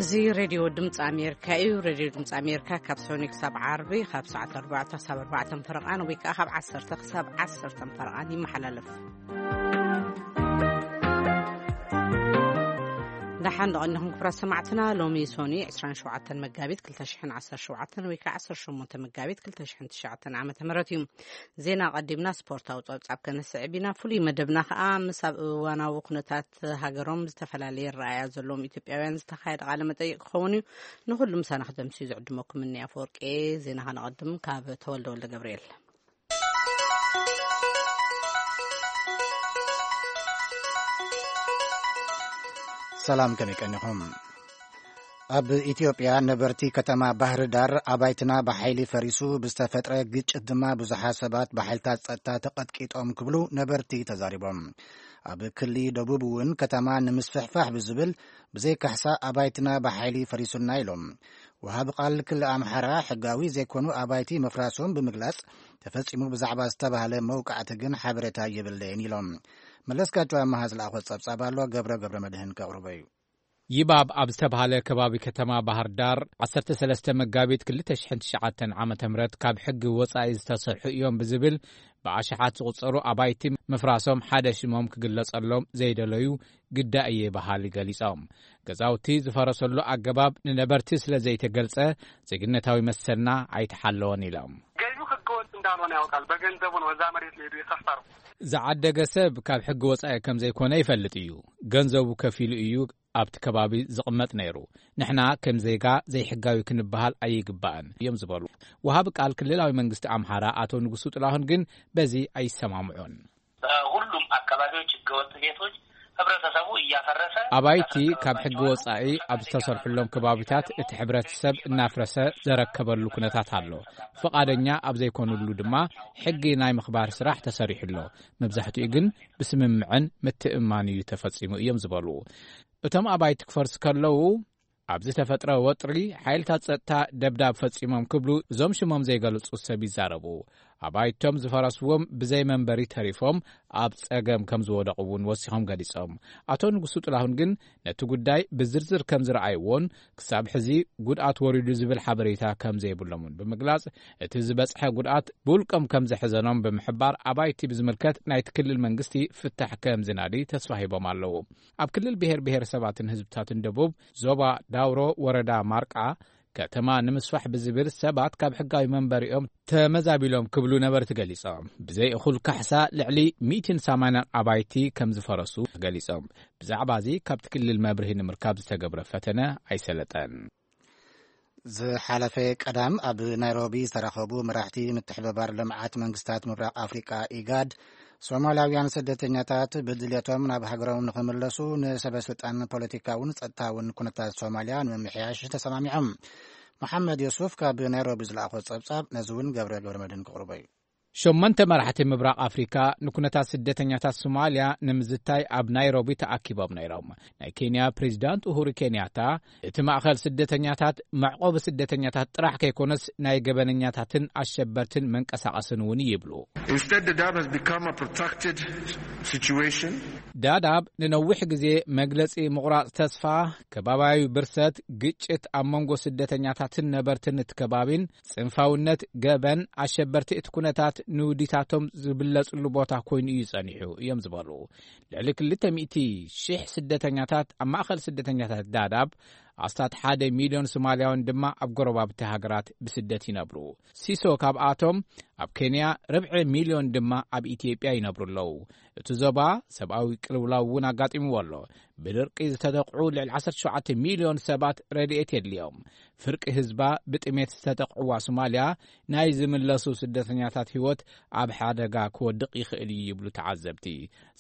እዚ ሬድዮ ድምፂ ኣሜሪካ እዩ። ሬድዮ ድምፂ ኣሜሪካ ካብ ሰኑይ ክሳብ ዓርቢ ካብ ሰዓት ኣርባዕተ ክሳብ ኣርባዕተ ፈረቓን ወይ ከዓ ካብ ዓሰርተ ክሳብ ዓሰርተ ፈረቓን ይመሓላለፍ። ደሓን ደቐንኹም ክብራት ሰማዕትና። ሎሚ ሶኒ ዕስራን ሸውዓተን መጋቢት ክልተ ሽሕን ዓሰርተ ሸውዓተን ወይ ከዓ ዓሰርተ ሸሞንተ መጋቢት ክልተ ሽሕን ትሽዓተን ዓመተ ምህረት እዩ። ዜና ኣቐዲምና ስፖርታዊ ጸብጻብ ከነስዕብ ኢና። ፍሉይ መደብና ከኣ ምስ ኣብ እዋናዊ ኩነታት ሃገሮም ዝተፈላለየ ረኣያ ዘለዎም ኢትዮጵያውያን ዝተኻየደ ቃለ መጠይቕ ክኸውን እዩ። ንኹሉ ምሳና ክደምስዩ ዝዕድመኩም እኒ ኣፈወርቂ። ዜና ከነቐድም ካብ ተወልደ ወልደ ገብርኤል። ሰላም፣ ከመይ ቀኒኹም? ኣብ ኢትዮጵያ ነበርቲ ከተማ ባህር ዳር ኣባይትና ብሓይሊ ፈሪሱ ብዝተፈጥረ ግጭት ድማ ብዙሓት ሰባት ብሓይልታት ጸጥታ ተቐጥቂጦም ክብሉ ነበርቲ ተዛሪቦም። ኣብ ክሊ ደቡብ እውን ከተማ ንምስፍሕፋሕ ብዝብል ብዘይ ካሕሳ ኣባይትና ብሓይሊ ፈሪሱና ኢሎም። ወሃቢ ቃል ክሊ ኣምሓራ ሕጋዊ ዘይኮኑ ኣባይቲ ምፍራሶም ብምግላጽ ተፈጺሙ ብዛዕባ ዝተባህለ መውቃዕቲ ግን ሓበሬታ የብለይን ኢሎም። መለስካቸው ኣመሃ ዝለኣኾ ጸብጻብ ኣሎ፣ ገብረ ገብረ መድህን ከቕርቦ እዩ። ይባብ ኣብ ዝተባህለ ከባቢ ከተማ ባህር ዳር ዓሰርተ ሰለስተ መጋቢት ክልተ ሽሕን ትሽዓተን ዓመተ ምህረት ካብ ሕጊ ወጻኢ ዝተሰርሑ እዮም ብዝብል ብኣሽሓት ዝቑጸሩ ኣባይቲ ምፍራሶም ሓደ ሽሞም ክግለጸሎም ዘይደለዩ ግዳ እየ በሃሊ ገሊጾም። ገዛውቲ ዝፈረሰሉ ኣገባብ ንነበርቲ ስለ ዘይተገልጸ ዜግነታዊ መሰልና ኣይተሓለወን ኢሎም። ገቢው ህገወጥ እንዳልሆነ ያውቃል። በገንዘቡ ነው እዛ መሬት ላይ ሄዶ የሰፈረው። ዝዓደገ ሰብ ካብ ሕጊ ወጻኢ ከም ዘይኮነ ይፈልጥ እዩ። ገንዘቡ ከፊሉ እዩ ኣብቲ ከባቢ ዝቕመጥ ነይሩ። ንሕና ከም ዜጋ ዘይሕጋዊ ክንበሃል ኣይግባእን እዮም ዝበሉ ወሃቢ ቃል ክልላዊ መንግስቲ ኣምሓራ ኣቶ ንጉሱ ጥላሁን ግን በዚ ኣይሰማምዑን። በሁሉም አካባቢዎች ህገወጥ ቤቶች ህብረተሰቡ እያፈረሰ አባይቲ ካብ ሕጊ ወጻኢ ኣብ ዝተሰርሕሎም ከባቢታት እቲ ሕብረተሰብ እናፍረሰ ዘረከበሉ ኩነታት ኣሎ። ፍቓደኛ ኣብ ዘይኮኑሉ ድማ ሕጊ ናይ ምኽባር ስራሕ ተሰሪሑ ኣሎ። መብዛሕትኡ ግን ብስምምዕን ምትእምማን እዩ ተፈጺሙ እዮም ዝበሉ። እቶም ኣባይቲ ክፈርሱ ከለዉ ኣብ ዝተፈጥረ ወጥሪ ሓይልታት ጸጥታ ደብዳብ ፈጺሞም ክብሉ እዞም ሽሞም ዘይገለጹ ሰብ ይዛረቡ። ኣባይቶም ዝፈረስዎም ብዘይ መንበሪ ተሪፎም ኣብ ጸገም ከም ዝወደቑ እውን ወሲኾም ገሊጾም። ኣቶ ንጉሱ ጥላሁን ግን ነቲ ጉዳይ ብዝርዝር ከም ዝረኣይዎን ክሳብ ሕዚ ጉድኣት ወሪዱ ዝብል ሓበሬታ ከም ዘይብሎምን ብምግላጽ እቲ ዝበጽሐ ጉድኣት ብውልቆም ከም ዘሕዘኖም ብምሕባር ኣባይቲ ብዝምልከት ናይቲ ክልል መንግስቲ ፍታሕ ከም ዝናዲ ተስፋ ሂቦም ኣለዉ። ኣብ ክልል ብሔር ብሔረሰባትን ህዝብታትን ደቡብ ዞባ ዳውሮ ወረዳ ማርቃ ከተማ ንምስፋሕ ብዝብል ሰባት ካብ ሕጋዊ መንበሪኦም ተመዛቢሎም ክብሉ ነበርቲ ገሊጾም። ብዘይ እኹል ካሕሳ ልዕሊ ሚእትን ሰማንያን ኣባይቲ ከም ዝፈረሱ ገሊጾም። ብዛዕባ እዚ ካብቲ ክልል መብርሂ ንምርካብ ዝተገብረ ፈተነ ኣይሰለጠን። ዝሓለፈ ቀዳም ኣብ ናይሮቢ ዝተረኸቡ መራሕቲ ምትሕብባር ልምዓት መንግስታት ምብራቕ ኣፍሪቃ ኢጋድ፣ ሶማላውያን ስደተኛታት ብድልየቶም ናብ ሃገሮም ንኽምለሱ ንሰበ ስልጣን ፖለቲካውን ጸጥታውን ኩነታት ሶማልያ ንምምሕያሽ ተሰማሚዖም። መሓመድ ዮሱፍ ካብ ናይሮቢ ዝለኣኾ ጸብጻብ ነዚ እውን ገብረ ገብረ መድህን ክቕርቦ እዩ። ሸሞንተ መራሕቲ ምብራቕ ኣፍሪካ ንኩነታት ስደተኛታት ሶማልያ ንምዝታይ ኣብ ናይሮቢ ተኣኪቦም ነይሮም። ናይ ኬንያ ፕሬዚዳንት ኡሁሩ ኬንያታ፣ እቲ ማእኸል ስደተኛታት መዕቆቢ ስደተኛታት ጥራሕ ከይኮነስ ናይ ገበነኛታትን ኣሸበርትን መንቀሳቐስን እውን ይብሉ። Instead, the dam has become a protracted situation. ዳዳብ ንነዊሕ ግዜ መግለጺ ምቑራጽ ተስፋ፣ ከባባያዊ ብርሰት፣ ግጭት ኣብ መንጎ ስደተኛታትን ነበርትን እቲ ከባቢን፣ ጽንፋውነት፣ ገበን፣ ኣሸበርቲ እቲ ኩነታት ንውዲታቶም ዝብለጽሉ ቦታ ኮይኑ እዩ ጸኒሑ እዮም ዝበሉ። ልዕሊ ክልተ ሚእቲ ሺሕ ስደተኛታት ኣብ ማእኸል ስደተኛታት ዳዳብ ኣስታት ሓደ ሚልዮን ሶማልያውያን ድማ ኣብ ጎረባብቲ ሃገራት ብስደት ይነብሩ። ሲሶ ካብኣቶም ኣብ ኬንያ፣ ርብዒ ሚልዮን ድማ ኣብ ኢትዮጵያ ይነብሩ ኣለዉ። እቲ ዞባ ሰብኣዊ ቅልውላው እውን ኣጋጢምዎ ኣሎ። ብድርቂ ዝተጠቕዑ ልዕሊ ዓሰርተ ሸውዓተ ሚልዮን ሰባት ረድኤት የድልዮም። ፍርቂ ህዝባ ብጥሜት ዝተጠቕዕዋ ሶማልያ ናይ ዝምለሱ ስደተኛታት ህይወት ኣብ ሓደጋ ክወድቕ ይኽእል እዩ ይብሉ ተዓዘብቲ።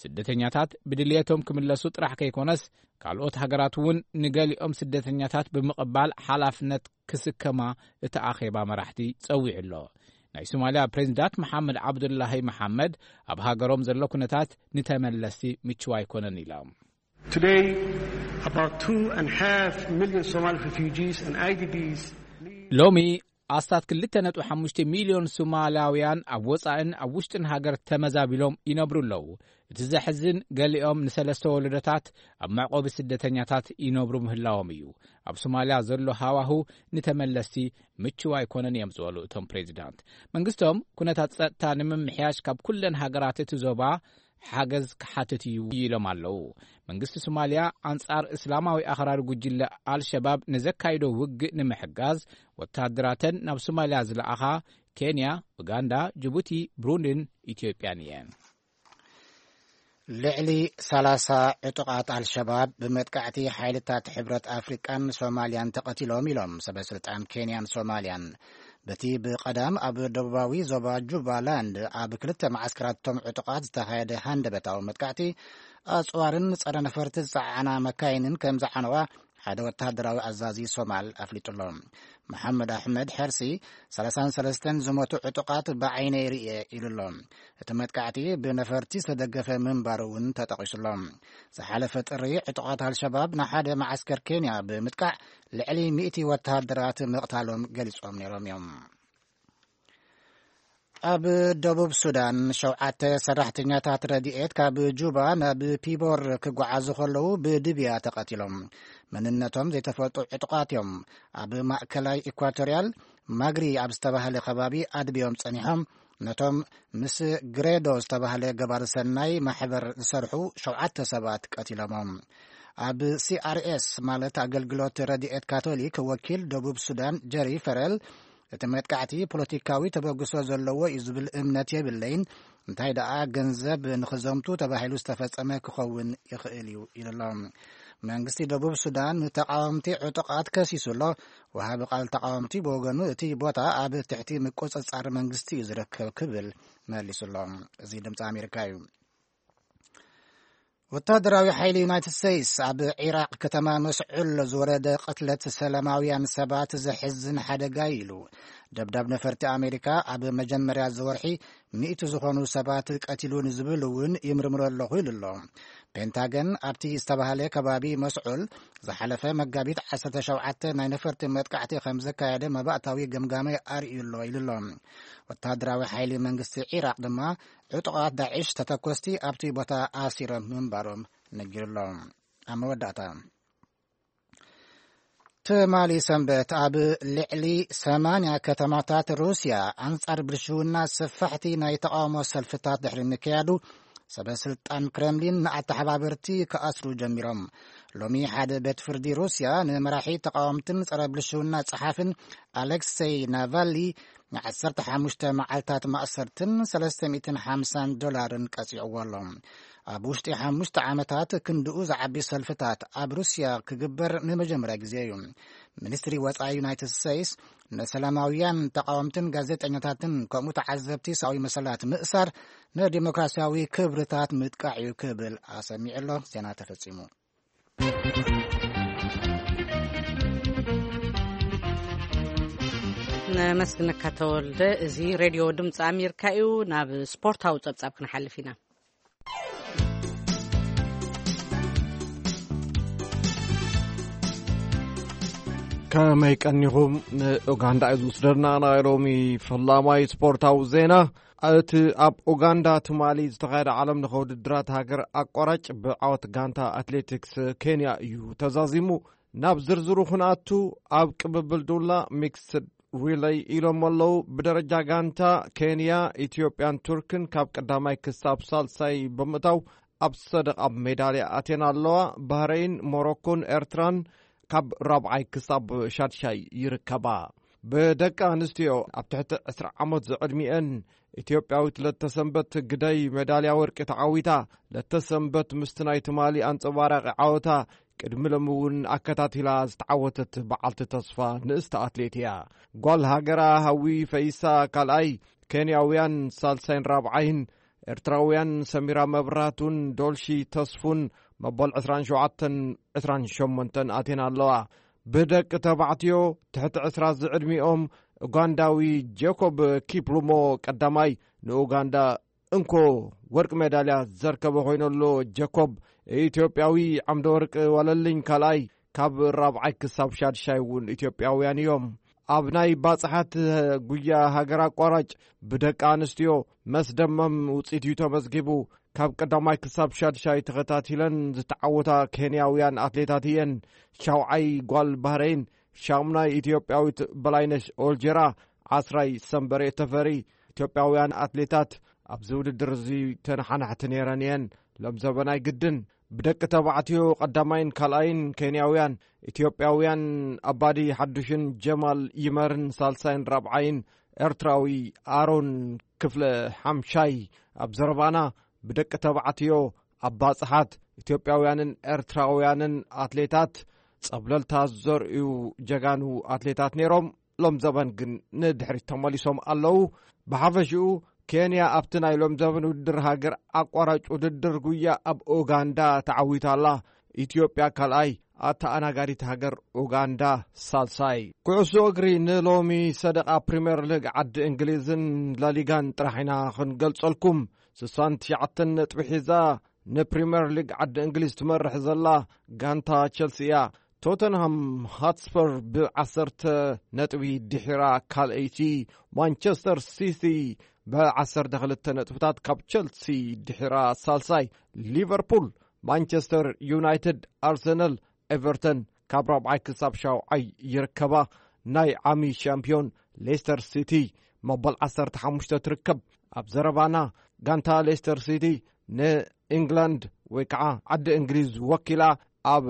ስደተኛታት ብድልየቶም ክምለሱ ጥራሕ ከይኮነስ ካልኦት ሃገራት እውን ንገሊኦም ስደተኛታት ብምቕባል ሓላፍነት ክስከማ እቲ ኣኼባ መራሕቲ ጸዊዑ ኣሎ። ናይ ሶማልያ ፕሬዚዳንት መሓመድ ዓብዱላሂ መሓመድ ኣብ ሃገሮም ዘሎ ኩነታት ንተመለስቲ ምችው ኣይኮነን ኢሎም። Today, about two and a half million Somali refugees and I D Ps ሎሚ ኣስታት ክልተ ነጥቢ ሓሙሽተ ሚልዮን ሶማላውያን ኣብ ወጻእን ኣብ ውሽጥን ሃገር ተመዛቢሎም ይነብሩ ኣለዉ። እቲ ዘሕዝን፣ ገሊኦም ንሰለስተ ወለዶታት ኣብ መዕቆቢ ስደተኛታት ይነብሩ ምህላዎም እዩ። ኣብ ሶማልያ ዘሎ ሃዋሁ ንተመለስቲ ምቹው ኣይኮነን እዮም ዝበሉ እቶም ፕሬዚዳንት፣ መንግስቶም ኩነታት ጸጥታ ንምምሕያሽ ካብ ኩለን ሃገራት እቲ ዞባ ሓገዝ ክሓትት እዩ ኢሎም ኣለዉ። መንግስቲ ሶማልያ ኣንጻር እስላማዊ ኣኽራሪ ጉጅለ ኣልሸባብ ንዘካይዶ ውግእ ንምሕጋዝ ወተሃደራተን ናብ ሶማልያ ዝለኣኻ ኬንያ፣ ኡጋንዳ፣ ጅቡቲ፣ ብሩንዲን ኢትዮጵያን እየን። ልዕሊ ሰላሳ ዕጡቓት ኣልሸባብ ብመጥቃዕቲ ሓይልታት ሕብረት ኣፍሪቃን ሶማልያን ተቐቲሎም ኢሎም ሰበ ስልጣን ኬንያን ሶማልያን። በቲ ብቐዳም ኣብ ደቡባዊ ዞባ ጁባላንድ ኣብ ክልተ መዓስከራቶም ዕጡቓት ዝተኻየደ ሃንደበታዊ መጥቃዕቲ፣ ኣጽዋርን ጸረ ነፈርቲ ዝጸዓና መካይንን ከም ዝዓነዋ ሓደ ወተሃደራዊ ኣዛዚ ሶማል ኣፍሊጡ ኣሎ። መሓመድ ኣሕመድ ሕርሲ፣ ሰላሳን ሰለስተን ዝሞቱ ዕጡቓት ብዓይነይ ርእየ ኢሉ ኣሎ። እቲ መጥቃዕቲ ብነፈርቲ ዝተደገፈ ምንባሩ እውን ተጠቒሱ ኣሎ። ዝሓለፈ ጥሪ፣ ዕጡቓት ኣልሸባብ ንሓደ መዓስከር ኬንያ ብምጥቃዕ ልዕሊ ሚእቲ ወተሃደራት ምቕታሎም ገሊጾም ነይሮም እዮም። ኣብ ደቡብ ሱዳን፣ ሸውዓተ ሰራሕተኛታት ረድኤት ካብ ጁባ ናብ ፒቦር ክጓዓዙ ከለዉ ብድብያ ተቐቲሎም። መንነቶም ዘይተፈልጡ ዕጡቓት እዮም። ኣብ ማእከላይ ኢኳቶርያል፣ ማግሪ ኣብ ዝተባህለ ከባቢ ኣድብዮም ጸኒሖም፣ ነቶም ምስ ግሬዶ ዝተባህለ ገባሪ ሰናይ ማሕበር ዝሰርሑ ሸውዓተ ሰባት ቀቲሎሞም። ኣብ ሲ ኣር ኤስ፣ ማለት ኣገልግሎት ረድኤት ካቶሊክ፣ ወኪል ደቡብ ሱዳን ጀሪ ፈረል፣ እቲ መጥቃዕቲ ፖለቲካዊ ተበግሶ ዘለዎ እዩ ዝብል እምነት የብለይን፣ እንታይ ደኣ ገንዘብ ንኽዘምቱ ተባሂሉ ዝተፈጸመ ክኸውን ይኽእል እዩ ኢሉ ኣሎ። መንግስቲ ደቡብ ሱዳን ንተቃወምቲ ዕጡቓት ከሲሱ ኣሎ። ወሃቢ ቃል ተቃወምቲ ብወገኑ፣ እቲ ቦታ ኣብ ትሕቲ ምቁጽጻር መንግስቲ እዩ ዝርከብ ክብል መሊሱ ኣሎ። እዚ ድምፂ ኣሜሪካ እዩ። ወታደራዊ ሓይሊ ዩናይትድ ስቴትስ ኣብ ዒራቕ ከተማ መስዑል ዝወረደ ቅትለት ሰላማውያን ሰባት ዘሕዝን ሓደጋ እዩ ኢሉ። ደብዳብ ነፈርቲ ኣሜሪካ ኣብ መጀመርያ እዚ ወርሒ ሚእቲ ዝኾኑ ሰባት ቀቲሉ ንዝብል እውን ይምርምሮ ኣለኹ ኢሉ ኣሎ። ፔንታገን ኣብቲ ዝተባህለ ከባቢ መስዑል ዝሓለፈ መጋቢት ዓሰርተ ሸውዓተ ናይ ነፈርቲ መጥቃዕቲ ከም ዘካየደ መባእታዊ ገምጋመ ኣርእዩ ኣሎ ኢሉ ኣሎ። ወታደራዊ ሓይሊ መንግስቲ ዒራቕ ድማ ዕጡቓት ዳዕሽ ተተኮስቲ ኣብቲ ቦታ ኣሲሮም ምንባሮም ነጊሩ ኣሎ። ኣብ መወዳእታ፣ ትማሊ ሰንበት ኣብ ልዕሊ ሰማንያ ከተማታት ሩስያ ኣንጻር ብልሽውና ሰፋሕቲ ናይ ተቃውሞ ሰልፍታት ድሕሪ ምክያዱ፣ ሰበ ስልጣን ክረምሊን ንኣተሓባበርቲ ክኣስሩ ጀሚሮም። ሎሚ ሓደ ቤት ፍርዲ ሩስያ ንመራሒ ተቃወምትን ጸረ ብልሽውና ጸሓፍን ኣሌክሴይ ናቫሊ ንዓሰርተ ሓሙሽተ መዓልታት ማእሰርትን ሰለስተ ሚእትን ሓምሳን ዶላርን ቀጺዕዎ ኣሎ። ኣብ ውሽጢ ሓሙሽተ ዓመታት ክንድኡ ዝዓቢ ሰልፍታት ኣብ ሩስያ ክግበር ንመጀመርያ ግዜ እዩ። ሚኒስትሪ ወጻኢ ዩናይትድ ስቴትስ ንሰላማውያን ተቃወምትን ጋዜጠኛታትን ከምኡ ተዓዘብቲ ሰብኣዊ መሰላት ምእሳር ንዲሞክራሲያዊ ክብርታት ምጥቃዕ እዩ ክብል ኣሰሚዑ ኣሎ። ዜና ተፈጺሙ። ነመስግነካ ተወልደ። እዚ ሬድዮ ድምፂ ኣሜሪካ እዩ። ናብ ስፖርታዊ ጸብጻብ ክንሓልፍ ኢና። ከመይ ቀኒኹም? ንኡጋንዳ እዩ ዝውስደና ናይ ሎሚ ፈላማይ ስፖርታዊ ዜና። እቲ ኣብ ኡጋንዳ ትማሊ ዝተኻየደ ዓለም ለኸ ውድድራት ሃገር ኣቋራጭ ብዓወት ጋንታ ኣትሌቲክስ ኬንያ እዩ ተዛዚሙ። ናብ ዝርዝሩ ክንኣቱ፣ ኣብ ቅብብል ዱላ ሚክስድ ሪለይ ኢሎም ኣለዉ። ብደረጃ ጋንታ፣ ኬንያ፣ ኢትዮጵያን ቱርክን ካብ ቀዳማይ ክሳብ ሳልሳይ ብምእታው ኣብ ሰደቓ ሜዳልያ ኣትየን ኣለዋ። ባህረይን፣ ሞሮኮን ኤርትራን ካብ ራብዓይ ክሳብ ሻድሻይ ይርከባ። ብደቂ ኣንስትዮ ኣብ ትሕቲ ዕስራ ዓመት ዝዕድሚአን፣ ኢትዮጵያዊት ለተሰንበት ግደይ ሜዳልያ ወርቂ ተዓዊታ። ለተሰንበት ምስቲ ናይ ትማሊ ኣንጸባራቒ ዓወታ ቅድሚ ሎሚ እውን ኣከታቲላ ዝተዓወተት በዓልቲ ተስፋ ንእስቲ ኣትሌት እያ። ጓል ሃገራ ሃዊ ፈይሳ ካልኣይ፣ ኬንያውያን ሳልሳይን ራብዓይን፣ ኤርትራውያን ሰሚራ መብራቱን ዶልሺ ተስፉን መበል ዕስራን ሸውዓተን ዕስራን ሸሞንተን ኣትየን ኣለዋ። ብደቂ ተባዕትዮ ትሕቲ ዕስራ ዝዕድሚኦም፣ ኡጋንዳዊ ጄኮብ ኪፕሉሞ ቀዳማይ ንኡጋንዳ እንኮ ወርቂ ሜዳልያ ዘርከበ ኮይኑ ኣሎ። ጀኮብ፣ ኢትዮጵያዊ ዓምደ ወርቂ ዋለልኝ ካልኣይ፣ ካብ ራብዓይ ክሳብ ሻድሻይ እውን ኢትዮጵያውያን እዮም። ኣብ ናይ ባጽሓት ጉያ ሃገር ኣቋራጭ ብደቂ ኣንስትዮ መስደመም ውጽኢት እዩ ተመዝጊቡ። ካብ ቀዳማይ ክሳብ ሻድሻይ ተኸታቲለን ዝተዓወታ ኬንያውያን ኣትሌታት እየን። ሻውዓይ ጓል ባህረይን፣ ሻሙናይ ኢትዮጵያዊት በላይነሽ ኦልጀራ፣ ዓስራይ ሰንበሬ ተፈሪ። ኢትዮጵያውያን ኣትሌታት ኣብዚ ውድድር እዚ ተነሓናሕቲ ነይረን እየን። ሎም ዘበናይ ግድን ብደቂ ተባዕትዮ ቀዳማይን ካልኣይን ኬንያውያን፣ ኢትዮጵያውያን ኣባዲ ሓዱሽን ጀማል ይመርን ሳልሳይን ራብዓይን፣ ኤርትራዊ ኣሮን ክፍለ ሓምሻይ። ኣብ ዘረባና ብደቂ ተባዕትዮ ኣብ ባጽሓት ኢትዮጵያውያንን ኤርትራውያንን ኣትሌታት ጸብለልታ ዘርእዩ ጀጋኑ ኣትሌታት ነይሮም። ሎም ዘበን ግን ንድሕሪት ተመሊሶም ኣለዉ። ብሓፈሽኡ ኬንያ ኣብቲ ናይ ሎም ዘበን ውድድር ሃገር ኣቋራጭ ውድድር ጉያ ኣብ ኡጋንዳ ተዓዊታ ኣላ። ኢትዮጵያ ካልኣይ፣ ኣተኣናጋዲት ሃገር ኡጋንዳ ሳልሳይ። ኩዕሶ እግሪ ንሎሚ ሰደቓ ፕሪምየር ሊግ ዓዲ እንግሊዝን ላሊጋን ጥራሕ ኢና ክንገልጸልኩም። ስሳን ትሽዓተን ነጥቢ ሒዛ ንፕሪምየር ሊግ ዓዲ እንግሊዝ ትመርሕ ዘላ ጋንታ ቸልሲ እያ። ቶተንሃም ሃትስፐር ብዓሰርተ ነጥቢ ድሒራ ካልኣይቲ፣ ማንቸስተር ሲቲ ብዓሰርተ ክልተ ነጥብታት ካብ ቸልሲ ድሒራ ሳልሳይ፣ ሊቨርፑል፣ ማንቸስተር ዩናይትድ፣ ኣርሰናል፣ ኤቨርተን ካብ ራብዓይ ክሳብ ሻውዓይ ይርከባ። ናይ ዓሚ ሻምፒዮን ሌስተር ሲቲ መበል ዓሰርተ ሓሙሽተ ትርከብ። ኣብ ዘረባና ጋንታ ሌስተር ሲቲ ንኢንግላንድ ወይ ከዓ ዓዲ እንግሊዝ ወኪላ ኣብ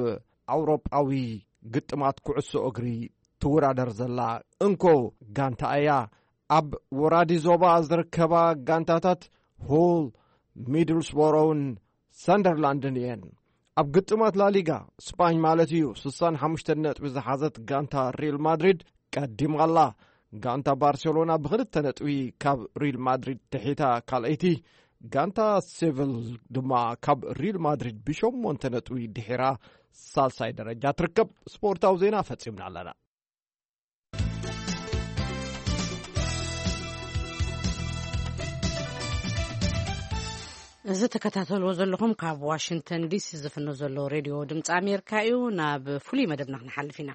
ኣውሮጳዊ ግጥማት ኩዕሶ እግሪ ትወዳደር ዘላ እንኮ ጋንታ እያ። ኣብ ወራዲ ዞባ ዝርከባ ጋንታታት ሁል፣ ሚድልስቦሮውን ሰንደርላንድን እየን። ኣብ ግጥማት ላሊጋ ስጳኝ ማለት እዩ፣ ስሳን ሓሙሽተ ነጥቢ ዝሓዘት ጋንታ ሪል ማድሪድ ቀዲማ ኣላ። ጋንታ ባርሴሎና ብኽልተ ነጥቢ ካብ ሪል ማድሪድ ትሒታ ካልኣይቲ፣ ጋንታ ሴቪል ድማ ካብ ሪል ማድሪድ ብሸሞንተ ነጥቢ ድሒራ ሳልሳይ ደረጃ ትርከብ። ስፖርታዊ ዜና ፈጺምና ኣለና። እዚ ተከታተልዎ ዘለኹም ካብ ዋሽንግተን ዲሲ ዝፍኖ ዘሎ ሬድዮ ድምፂ ኣሜሪካ እዩ። ናብ ፍሉይ መደብና ክንሓልፍ ኢና።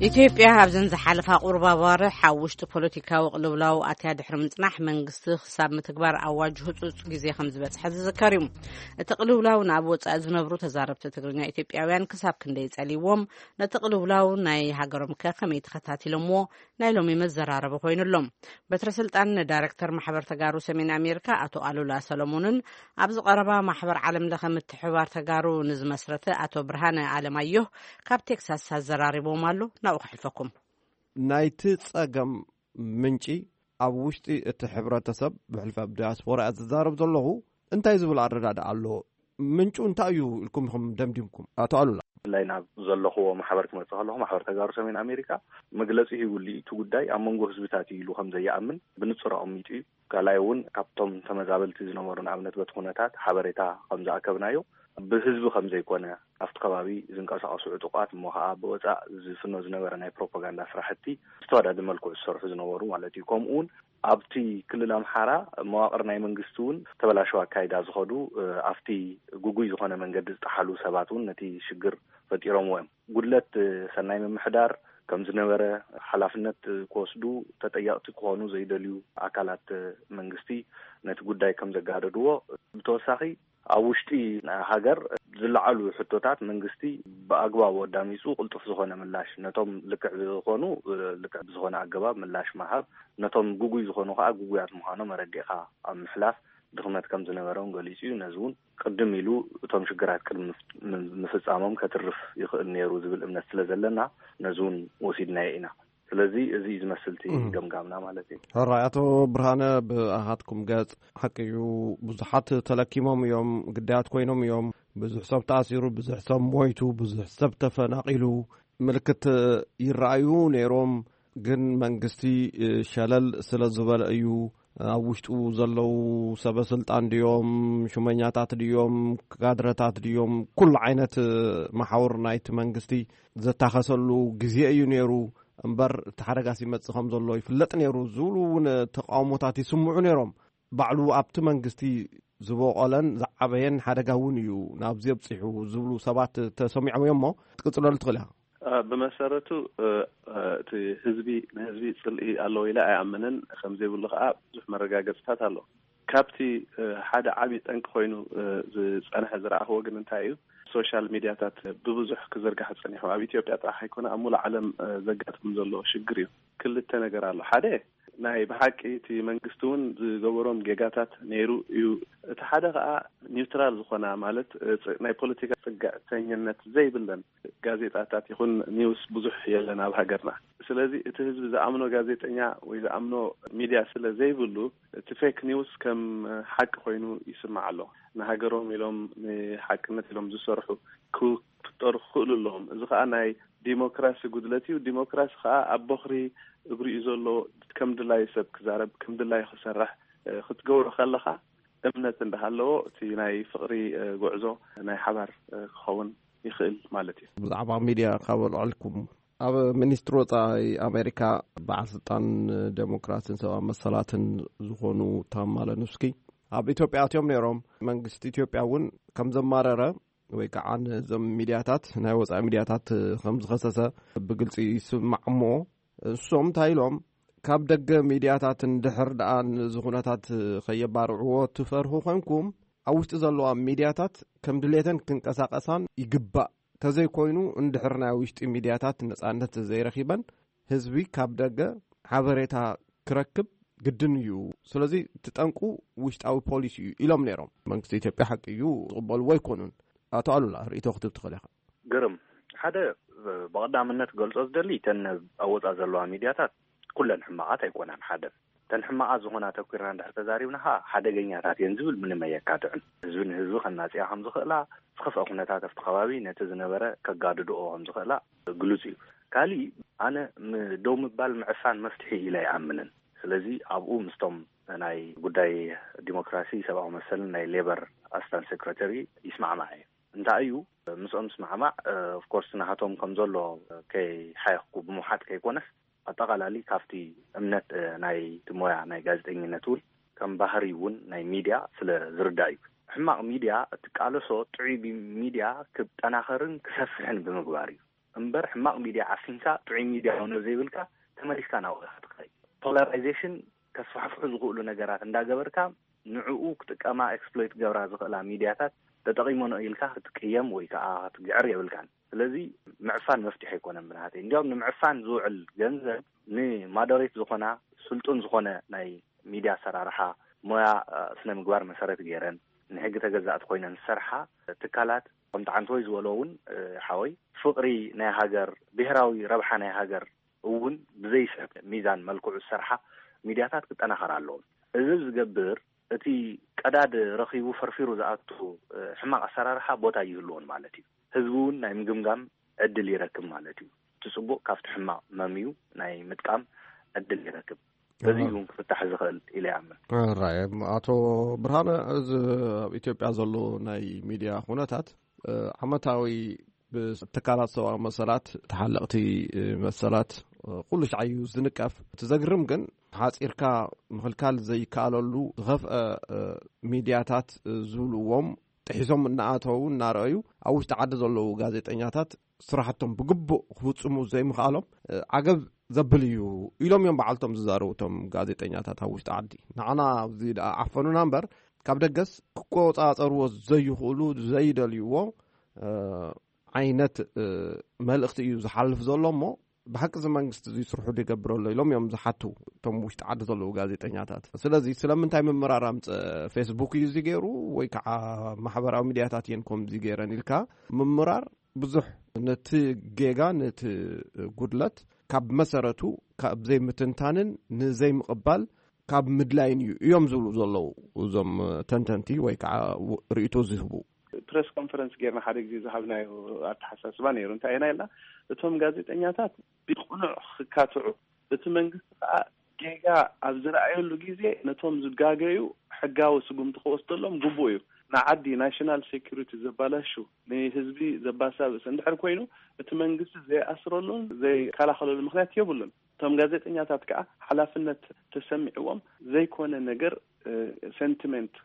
ኢትዮጵያ ኣብዘን ዝሓለፋ ቁሩብ ኣዋርሕ ኣብ ውሽጢ ፖለቲካዊ ቅልውላው ኣትያ ድሕሪ ምጽናሕ፣ መንግስቲ ክሳብ ምትግባር ኣዋጅ ህጹጽ ግዜ ከም ዝበጽሐ ዝዝከር እዩ። እቲ ቅልውላው ንኣብ ወጻኢ ዝነብሩ ተዛረብቲ ትግርኛ ኢትዮጵያውያን ክሳብ ክንደይ ጸልይዎም፣ ነቲ ቅልውላው ናይ ሃገሮም ከ ከመይ ተኸታቲሎምዎ ናይ ሎሚ መዘራረቢ ኮይኑ ኣሎ። በትረ ስልጣን ንዳይረክተር ማሕበር ተጋሩ ሰሜን ኣሜሪካ ኣቶ ኣሉላ ሰሎሞንን ኣብዚ ቀረባ ማሕበር ዓለም ለኸ ምትሕብባር ተጋሩ ንዝመስረተ ኣቶ ብርሃነ ኣለማየሁ ካብ ቴክሳስ ኣዘራሪቦም ኣሎ። ናብኡ ከሕልፈኩም። ናይቲ ጸገም ምንጪ ኣብ ውሽጢ እቲ ሕብረተሰብ፣ ብሕልፊ ኣብ ዲያስፖራ እያ ዝዛረብ ዘለኹ፣ እንታይ ዝብል ኣረዳድኣ ኣሎ? ምንጩ እንታይ እዩ ኢልኩም ኢኹም ደምዲምኩም? ኣቶ ኣሉላ። ብፍላይ ናብ ዘለኹዎ ማሕበር ክመጽእ ከለኹ፣ ማሕበር ተጋሩ ሰሜን ኣሜሪካ መግለጺ ሂቡሉ እዩ። እቲ ጉዳይ ኣብ መንጎ ህዝብታት እዩ ኢሉ ከም ዘይኣምን ብንጹር ኣቐሚጡ እዩ። ካልኣይ እውን ካብቶም ተመዛበልቲ ዝነበሩ፣ ንኣብነት በቲ ኩነታት ሓበሬታ ከም ዝኣከብናዮ፣ ብህዝቢ ከም ዘይኮነ፣ ኣብቲ ከባቢ ዝንቀሳቐሱ ዕጡቓት እሞ ኸዓ ብወጻእ ዝፍኖ ዝነበረ ናይ ፕሮፓጋንዳ ስራሕቲ ብዝተወዳደ መልክዑ ዝሰርሑ ዝነበሩ ማለት እዩ። ከምኡ እውን ኣብቲ ክልል ኣምሓራ መዋቕር ናይ መንግስቲ እውን ተበላሸው ኣካይዳ ዝኸዱ፣ እ፣ ኣብቲ ግጉይ ዝኾነ መንገዲ ዝጠሓሉ ሰባት እውን ነቲ ሽግር ፈጢሮምዎ እዮም። ጉድለት፣ እ፣ ሰናይ ምምሕዳር ከም ዝነበረ፣ ሓላፍነት ክወስዱ፣ ተጠየቕቲ ክኾኑ ዘይደልዩ ኣካላት መንግስቲ ነቲ ጉዳይ ከም ዘጋደድዎ፣ ብተወሳኺ ኣብ ውሽጢ ሃገር ዝለዓሉ ሕቶታት መንግስቲ ብኣግባቡ ኣዳሚፁ ቅልጡፍ ዝኾነ ምላሽ፣ ነቶም ልክዕ ዝኾኑ ልክዕ ብዝኾነ ኣገባብ ምላሽ ምሃብ፣ ነቶም ግጉይ ዝኾኑ ከዓ ግጉያት ምዃኖም ኣረዲእኻ ኣብ ምሕላፍ ድኽመት ከም ዝነበሮም ገሊፁ እዩ። ነዚ እውን ቅድም ኢሉ እቶም ሽግራት ቅድሚ ምፍ-፣ ም-፣ ምፍፃሞም ከትርፍ ይኽእል ነይሩ ዝብል እምነት ስለ ዘለና፣ ነዚ እውን ወሲድናዮ ኢና። ስለዚ እዚ እዩ ዝመስል እቲ እም። ገምጋምና ማለት እዩ። ሕራይ ኣቶ ብርሃነ፣ ብኣኻትኩም ገጽ ሓቂ እዩ፣ ብዙሓት ተለኪሞም እዮም፣ ግዳያት ኮይኖም እዮም። ብዙሕ ሰብ ተኣሲሩ፣ ብዙሕ ሰብ ሞይቱ፣ ብዙሕ ሰብ ተፈናቒሉ፣ ምልክት ይረኣዩ ነይሮም። ግን መንግስቲ፣ እ፣ ሸለል ስለ ዝበለ እዩ። ኣብ ውሽጡ ዘለዉ ሰበ ስልጣን ድዮም፣ ሹመኛታት ድዮም፣ ካድረታት ድዮም፣ ኩሉ ዓይነት፣ እ፣ መሓውር ናይቲ መንግስቲ ዘታኸሰሉ ግዜ እዩ ነይሩ። እምበር እቲ ሓደጋስ ይመጽእ ከም ዘሎ ይፍለጥ ነይሩ ዝብሉ እውን ተቃውሞታት ይስምዑ ነይሮም። ባዕሉ ኣብቲ መንግስቲ ዝበቆለን ዝዓበየን ሓደጋ እውን እዩ ናብዚ ኣብፂሑ ዝብሉ ሰባት ተሰሚዖም እዮም። እሞ ክትቅፅለሉ ትኽእል ኢኻ። እ፣ ብመሰረቱ እ፣ እ፣ እቲ ህዝቢ ንህዝቢ ጽልኢ ኣለዎ ኢለ ኣይኣምንን። ከም ዘይብሉ ከዓ ብዙሕ መረጋገፅታት ኣሎ። ካብቲ እ፣ ሓደ ዓብዪ ጠንቂ ኮይኑ እ፣ ዝጸንሐ ዝረኣኽዎ ግን እንታይ እዩ? ሶሻል ሚድያታት ብብዙሕ ክዝርጋሕ ጸኒሑ፣ ኣብ ኢትዮጵያ ጥራሕ ኣይኮነ፣ ኣብ ሙሉእ ዓለም እ፣ ዘጋጥም ዘሎ ሽግር እዩ። ክልተ ነገር ኣሎ። ሓደ ናይ ብሓቂ እቲ መንግስቲ እውን ዝገበሮም ጌጋታት ነይሩ እዩ። እቲ ሓደ ከዓ ኒውትራል ዝኾና፣ ማለት እ፣ ፅ- ናይ ፖለቲካ ፅግዕተኝነት ዘይብለን ጋዜጣታት ይኹን ኒውስ ብዙሕ የለን ኣብ ሃገርና። ስለዚ እቲ ህዝቢ ዝኣምኖ ጋዜጠኛ ወይ ዝኣምኖ ሚድያ ስለ ዘይብሉ፣ እቲ ፌክ ኒውስ ከም ሓቂ ኮይኑ ይስማዕ ኣሎ። ንሃገሮም ኢሎም፣ ንሓቅነት ኢሎም ዝሰርሑ ክፍጠሩ ክኽእሉ ኣለዎም። እዚ ከዓ ናይ ዲሞክራሲ ጉድለት እዩ። ዲሞክራሲ ከዓ ኣብ በኽሪ እግሩ እዩ ዘሎ። ከም ድላዩ ሰብ ክዛረብ፣ ከም ድላዩ ክሰርሕ እ፣ ክትገብሮ ከለኻ፣ እምነት እንዳሃለዎ እቲ ናይ ፍቕሪ እ፣ ጉዕዞ ናይ ሓባር እ፣ ክኸውን ይኽእል ማለት እዩ። ብዛዕባ ሚድያ ካብ ኣልዕልኩም፣ ኣብ ሚኒስትሪ ወፃኢ ኣሜሪካ በዓል ስልጣን ዴሞክራሲን ሰብኣዊ መሰላትን ዝኾኑ ታም ማለኑስኪ ኣብ ኢትዮጵያ ኣትዮም ነይሮም። መንግስቲ ኢትዮጵያ እውን ከም ዘማረረ ወይ ከዓ ነዞም ሚድያታት፣ ናይ ወፃኢ ሚድያታት ከም ዝኸሰሰ ብግልፂ ይስማዕ። እሞ እሶም እንታይ ኢሎም? ካብ ደገ ሚድያታት እንድሕር ደኣ ነዚ ኩነታት ከየባርዕዎ ትፈርሁ ኮንኩም፣ ኣብ ውሽጢ ዘለዋ ሚድያታት ከም ድሌተን ክንቀሳቀሳን ይግባእ። ተዘይኮይኑ፣ እንድሕር ናይ ውሽጢ ሚድያታት ነጻነት ዘይረኺበን፣ ህዝቢ ካብ ደገ ሓበሬታ ክረክብ ግድን እዩ። ስለዚ፣ እቲ ጠንቁ ውሽጣዊ ፖሊሲ እዩ ኢሎም ነይሮም። መንግስቲ ኢትዮጵያ ሓቂ እዩ፣ ዝቕበልዎ ኣይኮኑን። ኣቶ ኣሉላ፣ ርእይቶ ክትብ ትኽእል ኢኻ። ግርም፣ ሓደ ብቐዳምነት ገልጾ ዝደሊ፣ እተን ኣብ ወጻእ ዘለዋ ሚድያታት ኩለን ሕማቓት ኣይኮናን። ሓደ፣ እተን ሕማቓት ዝኾና ተኲርና እንድሕር ተዛሪብና ኸኣ ሓደገኛታት እየን ዝብል ምንም ኣየካትዕን። ህዝቢ ንህዝቢ ከናጽያ ከም ዝኽእላ፣ ዝኸፍአ ኩነታት ኣብቲ ከባቢ ነቲ ዝነበረ ከጋድድኦ ከም ዝኽእላ ግሉጽ እዩ። ካሊእ፣ ኣነ ም- ደው ምባል ምዕፋን መፍትሒ ኢለ ኣይኣምንን። ስለዚ ኣብኡ ምስቶም ናይ ጉዳይ ዲሞክራሲ፣ ሰብኣዊ መሰልን ናይ ሌበር ኣስታን ሴክረተሪ ይስማዕማዕ እየ። እንታይ እዩ ምስኦም ምስማዕማዕ? ኦፍኮርስ ናሃቶም ከም ዘሎ ከይሓየኽኩ ብምውሓጥ ከይኮነስ፣ ኣጠቓላሊ ካብቲ እምነት ናይቲ ሞያ ናይ ጋዜጠኝነት እውን ከም ባህሪ እውን ናይ ሚድያ ስለ ዝርዳእ እዩ። ሕማቕ ሚድያ እትቃለሶ ጥዑይ ቢ- ሚድያ ክጠናኸርን ክሰፍሕን ብምግባር እዩ። እምበር ሕማቕ ሚድያ ዓፊንካ ጥዑይ ሚድያ እውን ዘይብልካ ተመሊስካ ናብኡ ኢኻ ትኸይድ። ፖላራይዜሽን ከስፋሕፍሑ ዝኽእሉ ነገራት እንዳገበርካ ንዕኡ ክጥቀማ ኤክስፕሎይት ክገብራ ዝኽእላ ሚድያታት ተጠቒመንኦ ኢልካ ክትቅየም ወይ ከዓ ክትግዕር የብልካን። ስለዚ ምዕፋን መፍትሒ ኣይኮነን ብናተይ። እንዲያውም ንምዕፋን ዝውዕል ገንዘብ ንማደሬት ዝኾና ስልጡን ዝኾነ ናይ ሚድያ ኣሰራርሓ ሞያ ስነ ምግባር መሰረት ገይረን ንሕጊ ተገዛእቲ ኮይነን ዝሰርሓ ትካላት ከምቲ ዓንተወይ ዝበሎ እውን ሓወይ ፍቕሪ ናይ ሃገር ብሄራዊ ረብሓ ናይ ሃገር እውን ብዘይስሕብ ሚዛን መልክዑ ዝሰርሓ ሚድያታት ክጠናኸራ ኣለዎም። እዚ ዝገብር እቲ ቀዳድ ረኺቡ ፈርፊሩ ዝኣቱ ሕማቕ ኣሰራርሓ ቦታ ይህልዎን ማለት እዩ። ህዝቢ እውን ናይ ምግምጋም ዕድል ይረክብ ማለት እዩ። እቲ ፅቡቕ ካብቲ ሕማቕ መምዩ ናይ ምጥቃም ዕድል ይረክብ። በዚ እውን ክፍታሕ ዝኽእል ኢለ ይኣምን። ራይ ኣቶ ብርሃነ፣ እዚ ኣብ ኢትዮጵያ ዘሎ ናይ ሚድያ ኩነታት ዓመታዊ ብትካላት ሰብኣዊ መሰላት፣ ተሓለቕቲ መሰላት ኩሉ ሻዕ እዩ ዝንቀፍ። እቲ ዘግርም ግን ሓፂርካ ምኽልካል ዘይከኣለሉ ዝኸፍአ ሚድያታት ዝብልዎም ጥሒሶም እናኣተዉ እናረኣዩ ኣብ ውሽጢ ዓዲ ዘለዉ ጋዜጠኛታት ስራሕቶም ብግቡእ ክፍፅሙ ዘይምኽኣሎም ዓገብ ዘብል እዩ ኢሎም እዮም በዓልቶም ዝዛረቡ እቶም ጋዜጠኛታት ኣብ ውሽጢ ዓዲ። ንዓና ኣብዚ ደኣ ዓፈኑና እምበር ካብ ደገስ ክቆፃፀርዎ ዘይኽእሉ ዘይደልይዎ ዓይነት መልእኽቲ እዩ ዝሓልፍ ዘሎ። እሞ ብሓቂ እዚ መንግስቲ እዚ ስርሑ ይገብር ኣሎ ኢሎም እዮም ዝሓቱ እቶም ውሽጢ ዓዲ ዘለዉ ጋዜጠኛታት። ስለዚ ስለምንታይ ምምራር ኣምፀ ፌስቡክ እዩ እዚ ገይሩ ወይ ከዓ ማሕበራዊ ሚድያታት እየን ከምዚ ገይረን ኢልካ ምምራር ብዙሕ ነቲ ጌጋ ነቲ ጉድለት ካብ መሰረቱ ካብ ዘይምትንታንን ንዘይምቕባል ካብ ምድላይን እዩ እዮም ዝብሉ ዘለዉ እዞም ተንተንቲ ወይ ከዓ ርእይቶ ዝህቡ። ፕረስ ኮንፈረንስ ጌርና ሓደ ግዜ ዝሃብናዮ ኣተሓሳስባ ነይሩ። እንታይ ኢና ኢልና? እቶም ጋዜጠኛታት ብቕኑዕ ክካትዑ፣ እቲ መንግስቲ ከዓ ጌጋ ኣብ ዝረኣየሉ ግዜ ነቶም ዝጋገዩ ሕጋዊ ስጉምቲ ክወስደሎም ግቡእ እዩ። ንዓዲ ናሽናል ሴኩሪቲ ዘባላሹ፣ ንህዝቢ ዘባሳብስ እንድሕር ኮይኑ እቲ መንግስቲ ዘይኣስረሉን ዘይከላኸለሉ ምክንያት የብሉን። እቶም ጋዜጠኛታት ከዓ ሓላፍነት ተሰሚዕዎም ዘይኮነ ነገር፣ ሰንቲመንት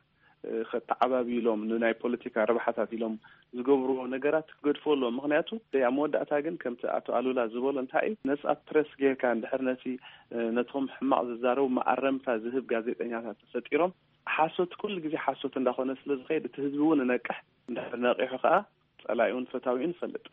ከተዓባብዩ ኢሎም፣ ንናይ ፖለቲካ ረብሓታት ኢሎም ዝገብርዎ ነገራት ክገድፎ ኣለዎም። ምክንያቱ ኣብ መወዳእታ ግን ከምቲ ኣቶ ኣሉላ ዝበሎ እንታይ እዩ፣ ነፃ ፕረስ ጌርካ እንድሕር ነቲ ነቶም ሕማቕ ዝዛረቡ መኣረምታ ዝህብ ጋዜጠኛታት ተፈጢሮም፣ ሓሶት ኩሉ ግዜ ሓሶት እንዳኾነ ስለ ዝኸይድ እቲ ህዝቢ እውን ነቅሕ እንድሕር ነቂሑ ከዓ ጸላኢኡን ፈታዊኡን ይፈልጥ።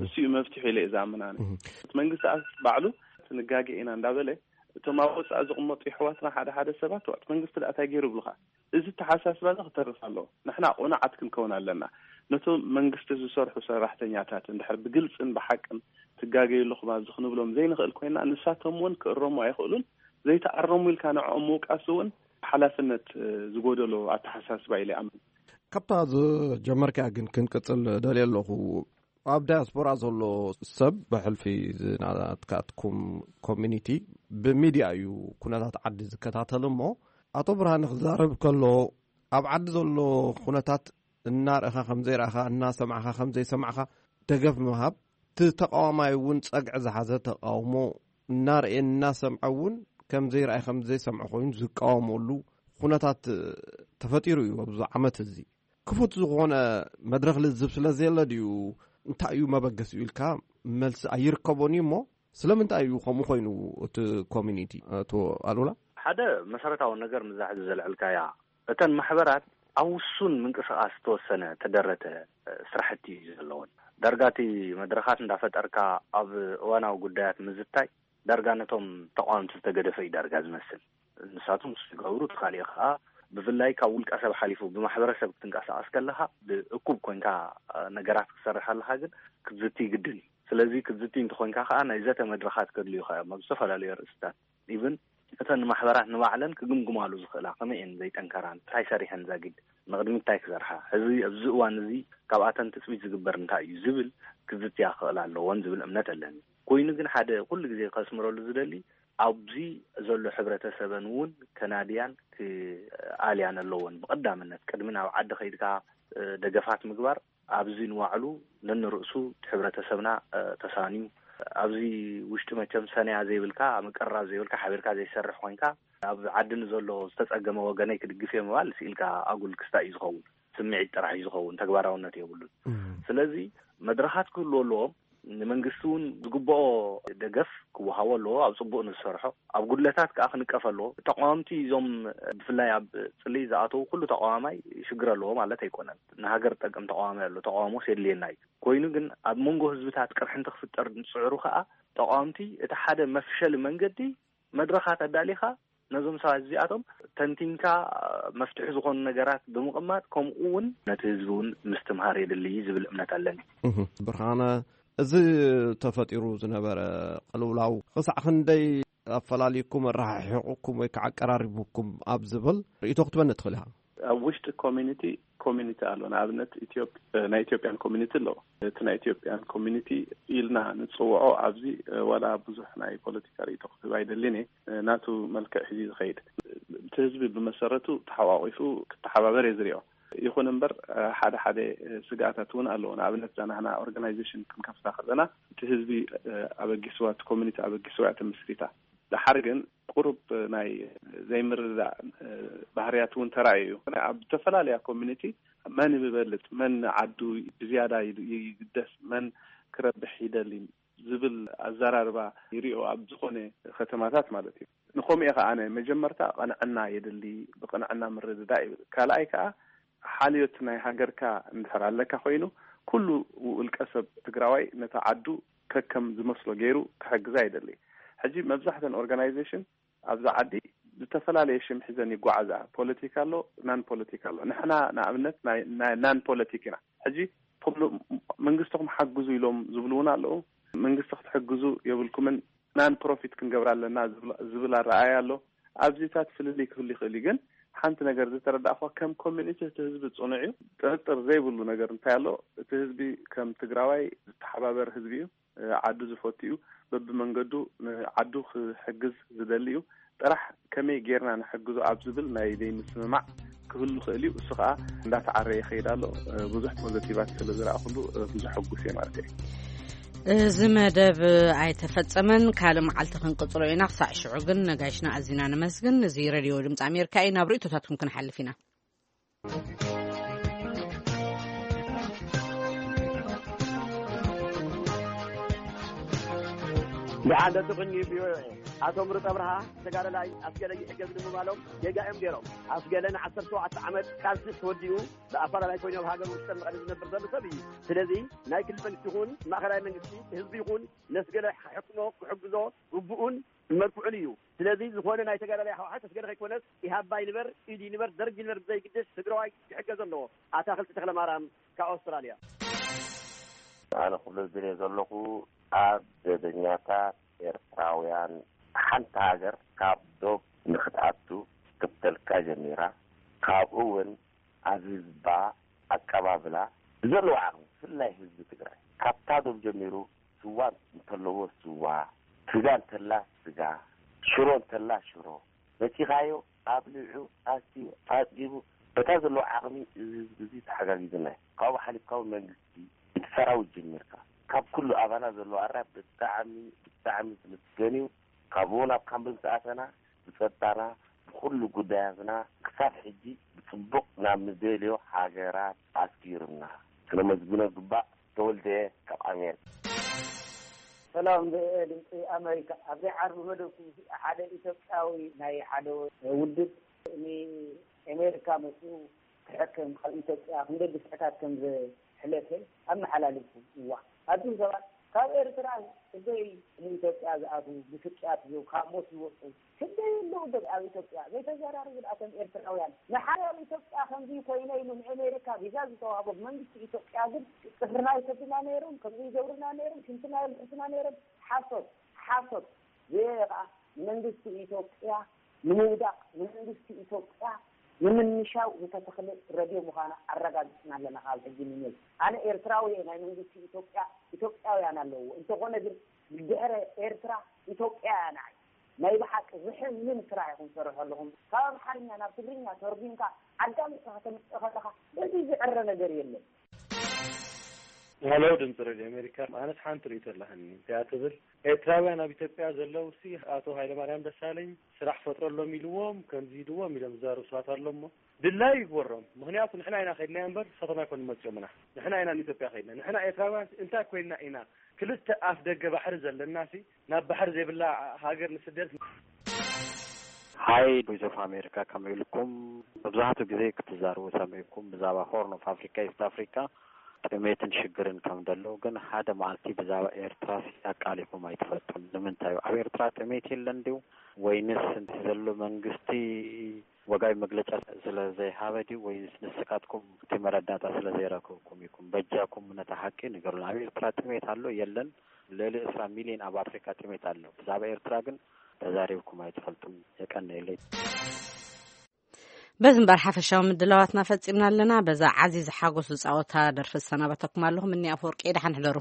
እሱ እዩ መፍትሒ ኢለ እየ ዝኣምን ኣነ። እቲ መንግስቲ ኣስ ባዕሉ ትንጋገ ኢና እንዳበለ እቶም ኣብ ወፃኢ ዝቕመጡ የሕዋትና ሓደ ሓደ ሰባት ዋት መንግስቲ ደኣ እንታይ ገይሩ ይብሉኻ? እዚ ተሓሳስባ እዚ ክተርፍ ኣለዎ። ንሕና ቁኑዓት ክንከውን ኣለና። ነቶም መንግስቲ ዝሰርሑ ሰራሕተኛታት እንድሕር ብግልፅን ብሓቅን ትጋገዩ ኣለኹም ኣብዚ ክንብሎም ዘይንኽእል ኮይና ንሳቶም እውን ክእረሙ ኣይኽእሉን። ዘይተኣረሙ ኢልካ ንዕኦም ምውቃስ እውን ሓላፍነት ዝጎደሎ ኣተሓሳስባ ኢለ ኣምን። ካብታ ዝጀመርካያ ግን ክንቅፅል ደልየ ኣለኹ። ኣብ ዳያስፖራ ዘሎ ሰብ ብሕልፊ ናትካትኩም ኮሚኒቲ ብሚድያ እዩ ኩነታት ዓዲ ዝከታተል እሞ ኣቶ ብርሃነ ክዛረብ ከሎ ኣብ ዓዲ ዘሎ ኩነታት እናርእኻ ከምዘይረእኻ እናሰማዕኻ ከምዘይሰማዕኻ ደገፍ ምሃብ እቲ ተቃዋማይ እውን ጸግዒ ዝሓዘ ተቃውሞ እናርኤ እናሰምዐ እውን ከምዘይረኣይ ከምዘይሰምዐ ኮይኑ ዝቃወመሉ ኩነታት ተፈጢሩ እዩ ኣብዚ ዓመት እዚ። ክፉት ዝኾነ መድረኽ ልዝብ ስለ ዘየለ ድዩ እንታይ እዩ መበገሲኡ ኢልካ መልሲ ኣይርከቦን እዩ እሞ ስለምንታይ እዩ ከምኡ ኮይኑ እቲ ኮሚኒቲ ኣቶ ኣሉላ? ሓደ መሰረታዊ ነገር ምዛ ሕዚ ዘልዕልካያ እተን ማሕበራት ኣብ ውሱን ምንቅስቃስ ዝተወሰነ ተደረተ ስራሕቲ እዩ ዘለውን። ዳርጋ እቲ መድረኻት እንዳፈጠርካ ኣብ እዋናዊ ጉዳያት ምዝታይ ዳርጋ ነቶም ተቃወምቲ ዝተገደፈ እዩ ዳርጋ ዝመስል። ንሳቶም ንሱ ይገብሩ፣ እቲ ካሊእ ከዓ ብፍላይ ካብ ውልቀ ሰብ ሓሊፉ ብማሕበረሰብ ክትንቀሳቀስ ከለካ ብእኩብ ኮንካ ነገራት ክትሰርሕ ኣለካ ግን ክትዝቲ ግድን እዩ። ስለዚ ክትዝቲ እንተኮንካ ከዓ ናይ ዘተ መድረካት ከድልዩ ከዓ እዮም ኣብ ዝተፈላለዩ ርእስታት ኢቭን እተን ማሕበራት ንባዕለን ክግምግማሉ ዝኽእላ ከመይ እየን ዘይጠንከራን እንታይ ሰሪሐን ዛጊድ ንቕድሚት እንታይ ክሰርሓ ሕዚ ኣብዚ እዋን እዚ ካብኣተን ትፅቢት ዝግበር እንታይ እዩ ዝብል ክዝትያ ክኽእላ ኣለዎን ዝብል እምነት ኣለኒ። ኮይኑ ግን ሓደ ኩሉ ግዜ ከስምረሉ ዝደሊ ኣብዚ ዘሎ ሕብረተሰበን እውን ከናድያን ክኣልያን ኣለዎን ብቐዳምነት ቅድሚ ናብ ዓዲ ከይድካ ደገፋት ምግባር ኣብዚ ንባዕሉ ነንርእሱ እቲ ሕብረተሰብና ተሳንዩ ኣብዚ ውሽጢ መቸም ሰንያ ዘይብልካ ምቅርራብ ዘይብልካ ሓቢርካ ዘይሰርሕ ኮይንካ ኣብ ዓዲ ንዘሎ ዝተጸገመ ወገነይ ክድግፍ እየ ምባል ስኢልካ ኣጉል ክስታይ እዩ ዝኸውን። ስምዒት ጥራሕ እዩ ዝኸውን፣ ተግባራውነት የብሉን። ስለዚ መድረኻት ክህልዎ ኣለዎም። ንመንግስቲ እውን ዝግብኦ ደገፍ ክወሃቦ ኣለዎ። ኣብ ጽቡቕ ንዝሰርሖ ኣብ ጉድለታት ከዓ ክንቀፍ ኣለዎ። ተቃወምቲ እዞም ብፍላይ ኣብ ጽልኢ ዝኣተዉ ኩሉ ተቃዋማይ ሽግር ኣለዎ ማለት ኣይኮነን። ንሃገር ጠቅም ተቃዋማይ ኣሎ፣ ተቃውሞስ የድልየና እዩ። ኮይኑ ግን ኣብ መንጎ ህዝብታት ቅርሕንቲ ክፍጠር ዝጽዕሩ ከዓ ተቃወምቲ እቲ ሓደ መፍሸሊ መንገዲ መድረኻት ኣዳሊኻ ነዞም ሰባት እዚኣቶም ተንቲንካ መፍትሒ ዝኾኑ ነገራት ብምቕማጥ ከምኡ እውን ነቲ ህዝቢ እውን ምስትምሃር የድሊ ዝብል እምነት ኣለኒ። ብርሃነ፣ እዚ ተፈጢሩ ዝነበረ ቅልውላው ክሳዕ ክንደይ ኣፈላሊኩም ኣረሓሒቑኩም ወይ ከዓ ኣቀራሪቡኩም ኣብ ዝብል ርእይቶ ክትበኒ ትኽእል ኢኻ? ኣብ ውሽጢ ኮሚኒቲ ኮሚኒቲ ኣሎ። ንኣብነት ናይ ኢትዮጵያን ኮሚኒቲ ኣለዎ። እቲ ናይ ኢትዮጵያን ኮሚኒቲ ኢልና ንፅውዖ ኣብዚ ዋላ ብዙሕ ናይ ፖለቲካ ርእይቶ ክህብ ኣይደልን እየ። ናቱ መልክዕ ሒዙ ዝኸይድ እቲ ህዝቢ ብመሰረቱ ተሓቋቂፉ ክተሓባበር እየ ዝሪኦ። ይኹን እምበር ሓደ ሓደ ስግኣታት እውን ኣለዎ። ንኣብነት እዛ ናህና ኦርጋናይዜሽን ክንከፍታ ከለና እቲ ህዝቢ ኣበጊስዋ፣ እቲ ኮሚኒቲ ኣበጊስዋ እያ ተመስሪታ። ደሓር ግን ቁሩብ ናይ ዘይምርዳእ ባህርያት እውን ተራእዩ እዩ። ኣብ ዝተፈላለያ ኮሚኒቲ መን ይበልፅ፣ መን ዓዱ ብዝያዳ ይግደስ፣ መን ክረብሕ ይደሊ ዝብል ኣዘራርባ ይሪኦ ኣብ ዝኾነ ከተማታት ማለት እዩ። ንኸምኡ ከ ኣነ መጀመርታ ቅንዕና የድሊ፣ ብቅንዕና ምርድዳእ ይብል። ካልኣይ ከዓ ሓልዮት ናይ ሃገርካ እንድሕር ኣለካ ኮይኑ ኩሉ ውልቀ ሰብ ትግራዋይ ነታ ዓዱ ከከም ዝመስሎ ገይሩ ክሕግዛ ይደሊ። ሕጂ መብዛሕተን ኦርጋናይዜሽን ኣብዛ ዓዲ ዝተፈላለየ ሽም ሒዘን ይጓዓዛ። ፖለቲካ ኣሎ፣ ናን ፖለቲካ ኣሎ። ንሕና ንኣብነት ናይ ናን ፖለቲክ ኢና። ሕጂ መንግስትኹም ሓግዙ ኢሎም ዝብሉ እውን ኣለዉ። መንግስቲ ክትሕግዙ የብልኩምን ናን ፕሮፊት ክንገብር ኣለና ዝብል ኣረኣያ ኣሎ። ኣብዚታት ፍልልይ ክህሉ ይኽእል እዩ፣ ግን ሓንቲ ነገር ዝተረዳእኹዋ ከም ኮሚኒቲ እቲ ህዝቢ ፅኑዕ እዩ። ጥርጥር ዘይብሉ ነገር እንታይ ኣሎ፣ እቲ ህዝቢ ከም ትግራዋይ ዝተሓባበር ህዝቢ እዩ። ዓዱ ዝፈቱ እዩ። በብመንገዱ ንዓዱ ክሕግዝ ዝደሊ እዩ። ጥራሕ ከመይ ጌርና ንሕግዞ ኣብ ዝብል ናይ ዘይምስምማዕ ክህሉ ይኽእል እዩ። እሱ ከዓ እንዳተዓረየ ይኸይድ ኣሎ። ብዙሕ ፖዘቲቫት ስለ ዝረኣኹሉ ብዙሕ ሕጉስ እየ ማለት እየ። እዚ መደብ ኣይተፈጸመን። ካልእ መዓልቲ ክንቅጽሎ ኢና። ክሳዕ ሽዑ ግን ነጋሽና ኣዚና ነመስግን። እዚ ሬድዮ ድምፂ ኣሜሪካ እዩ። ናብ ርእይቶታትኩም ክንሓልፍ ኢና። ደሓን ደቂ ቅኒ ቪኦኤ፣ ኣቶ ምሩፅ ኣብርሃ ተጋዳላይ ኣስገለ ይሕገዝ ንምባሎም ጌጋ እዮም ገይሮም። ኣስገለ ንዓሰርተ ሸውዓተ ዓመት ቃልሲ ተወዲኡ ብኣፈላላይ ኮይኑ ኣብ ሃገር ውሽጠ መቐለ ዝነብር ዘሎ ሰብ እዩ። ስለዚ ናይ ክልል መንግስቲ ይኹን ማእኸላይ መንግስቲ፣ ህዝቢ ይኹን ነስገለ ክሕክሞ ክሕግዞ ግቡኡን መርትዑን እዩ። ስለዚ ዝኾነ ናይ ተጋዳላይ ህወሓት ኣስገለ ከይኮነስ ኢህኣፓ ይንበር፣ ኢድ ይንበር፣ ደርግ ይንበር ብዘይግድስ ትግራዋይ ክሕገዝ ኣለዎ። ኣታኽልቲ ተኽለማርያም ካብ ኣውስትራልያ። ኣነ ክብሎ ዝደልየ ዘለኹ ኣብ ደበኛታት ኤርትራውያን ሓንቲ ሃገር ካብ ዶብ ንክትኣቱ ክትከፍተልካ ጀሚራ፣ ካብኡ እውን ኣብ ህዝባ ኣቀባብላ ብዘለዎ ዓቕሚ ብፍላይ ህዝቢ ትግራይ ካብታ ዶብ ጀሚሩ ስዋ እንተለዎ ስዋ፣ ስጋ እንተላ ስጋ፣ ሽሮ እንተላ ሽሮ መፂኻዮ ኣብሊዑ ኣስትዩ ኣፅጊቡ በታ ዘለዎ ዓቕሚ እዚ ህዝቢ እዚ ተሓጋጊዝና እዩ። ካብኡ ሓሊፍካ እውን መንግስቲ እቲ ሰራዊት ጀሚርካ ካብ ኩሉ ኣባና ዘለዎ ኣራ ብጣዕሚ ብጣዕሚ ዝምስገን እዩ። ካብኡ ናብ ካምፕ ምስ ኣተና ብፀጥታና ብኩሉ ጉዳያትና ክሳብ ሕጂ ብፅቡቕ ናብ ንደልዮ ሃገራት ኣስጊሩና ክነመስግኖ ግባእ። ተወልደ ካብ ኣሜሪካ። ሰላም ድምፂ ኣሜሪካ። ኣብዚ ዓርቢ መደብኩም ሓደ ኢትዮጵያዊ ናይ ሓደ ውድብ ንኤሜሪካ መፅኡ ክሕክም ካብ ኢትዮጵያ ክንደይ ግፍዕታት ከም ዘሕለፈ ኣመሓላሊፉ። እዋ ኣቱም ሰባት ካብ ኤርትራ ክንደይ ንኢትዮጵያ ዝኣትዉ ብስቅያት እዮም ካብ ሞት ዝወፁ ክንደይ ኣለዉ ዶ ኣብ ኢትዮጵያ ዘይተዘራርቡ ኣቶም ኤርትራውያን ንሓደ ኣብ ኢትዮጵያ ከምዚ ኮይነ ኢሉ ንኤሜሪካ ቪዛ ዝተዋህቦ መንግስቲ ኢትዮጵያ ግን ፅፍርና ይሰዱና ነይሮም ከምዚ ይገብሩና ነይሮም ሽንትና የልሕሱና ነይሮም ሓሶት ሓሶት። እዚ ከዓ ንመንግስቲ ኢትዮጵያ ንምውዳቕ ንመንግስቲ ኢትዮጵያ ንምንሻው ዝተተኽለ ረድዮ ምዃና ኣረጋጊፅና ኣለና ካብ ሕጂ ንኔል ኣነ ኤርትራዊ እየ ናይ መንግስቲ ኢትዮጵያ ኢትዮጵያውያን ኣለዎ እንተኾነ ግን ድሕረ ኤርትራ ኢትዮጵያ እያ ንዓይ ናይ ብሓቂ ዝሕዝን ስራሕ ኢኹም ትሰርሑ ኣለኹም ካብ ኣምሓርኛ ናብ ትግርኛ ተርጉምካ ኣዳሚፅካ ከተምፅእ ከለኻ እዚ ዝዕረ ነገር የለን። ሄሎ ድምፂ ሬድዮ ኣሜሪካ ኣነስ ሓንቲ ርእቶ ኣለሃኒ እዚኣ ትብል ኤርትራውያን ኣብ ኢትዮጵያ ዘለውሲ ኣቶ ሃይለማርያም ደሳለኝ ስራሕ ፈጥረሎም ኢልዎም ከምዚ ኢልዎም ኢሎም ዝዛረቡ ሰባት ኣሎ እሞ ድላይ ይግበሮም ምክንያቱ ንሕና ኢና ከድና እምበር ንሳቶም ኣይኮኑ መፅኦምና ንሕና ኢና ንኢትዮጵያ ከድና ንሕና ኤርትራውያን እንታይ ኮይንና ኢና ክልተ ኣፍ ደገ ባሕሪ ዘለናሲ ናብ ባሕሪ ዘይብላ ሃገር ንስደት። Hi Voice of America ከመይ ኢልኩም? መብዛሕትኡ ግዜ ክትዛረቡ ሰሚዕኩም ብዛዕባ Horn of Africa፣ East Africa ጥሜትን ሽግርን ከም ደሎ፣ ግን ሓደ መዓልቲ ብዛዕባ ኤርትራሲ ኣቃሊኹም ኣይትፈልጡን። ንምንታይ እዩ? ኣብ ኤርትራ ጥሜት የለን ድዩ? ወይንስ እቲ ዘሎ መንግስቲ ወጋይ መግለጫ ስለ ዘይሃበ ድዩ ወይስ ንስኻትኩም እቲ መረዳእታ ስለ ዘይረከብኩም ኢኹም? በጃኩም ነታ ሓቂ ንገሩና። ኣብ ኤርትራ ጥሜት ኣሎ የለን? ልዕሊ ዕስራ ሚልዮን ኣብ ኣፍሪካ ጥሜት ኣሎ። ብዛዕባ ኤርትራ ግን ተዛሪብኩም ኣይትፈልጡን። የቀንየለይ። በዚ እምበር ሓፈሻዊ ምድላዋትና ፈጺምና ኣለና። በዛ ዓዚዝ ሓጎስ ዝጻወታ ደርፊ ዝሰናበተኩም ኣለኹ። ምኒ ኣፈወርቂ፣ ደሓን ሕደሩ።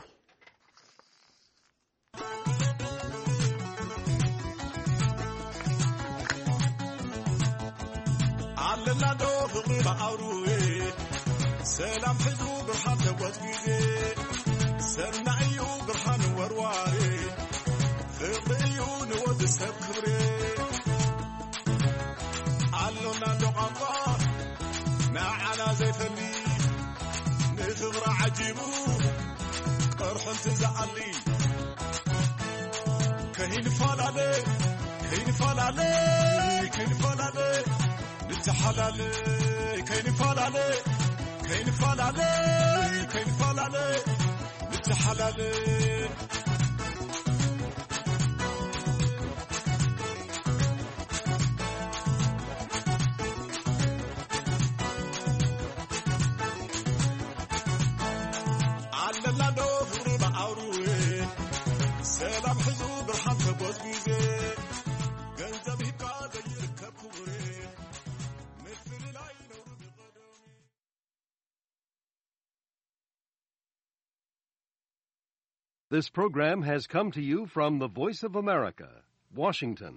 ኣለና ዶ ፍቕሪ ብኣውርዌ ሰላም ሕዙ ብርሃን ተጎዝጊዜ ሰናይ እዩ ብርሃን ወርዋሬ ፍቕሪ እዩ ንወዲ ሰብ ክብሬ ኣሎና ዶ ቋንቋ ንዓና ዘይፈሊ ንፍቕሪ ዓጂቡ ቀርሑ እንትዝኣሊ ከይንፈላለ ከይንፈላለ ከይንፈላለ ንተሓላለ ከይንፈላለ ከይንፈላለ ከይንፈላለ ንተሓላለ ኣለና ዶ ፍቕሪ ብኣውርዌ ሰላም ሕዙ ብርሃን ተጎዝጊዜ ገንዘብ ሂብካ ዘይርከብ ክቡሬ ምፍልላይ ነውሪ ብቐደሚ This program has come to you from the Voice of America, Washington.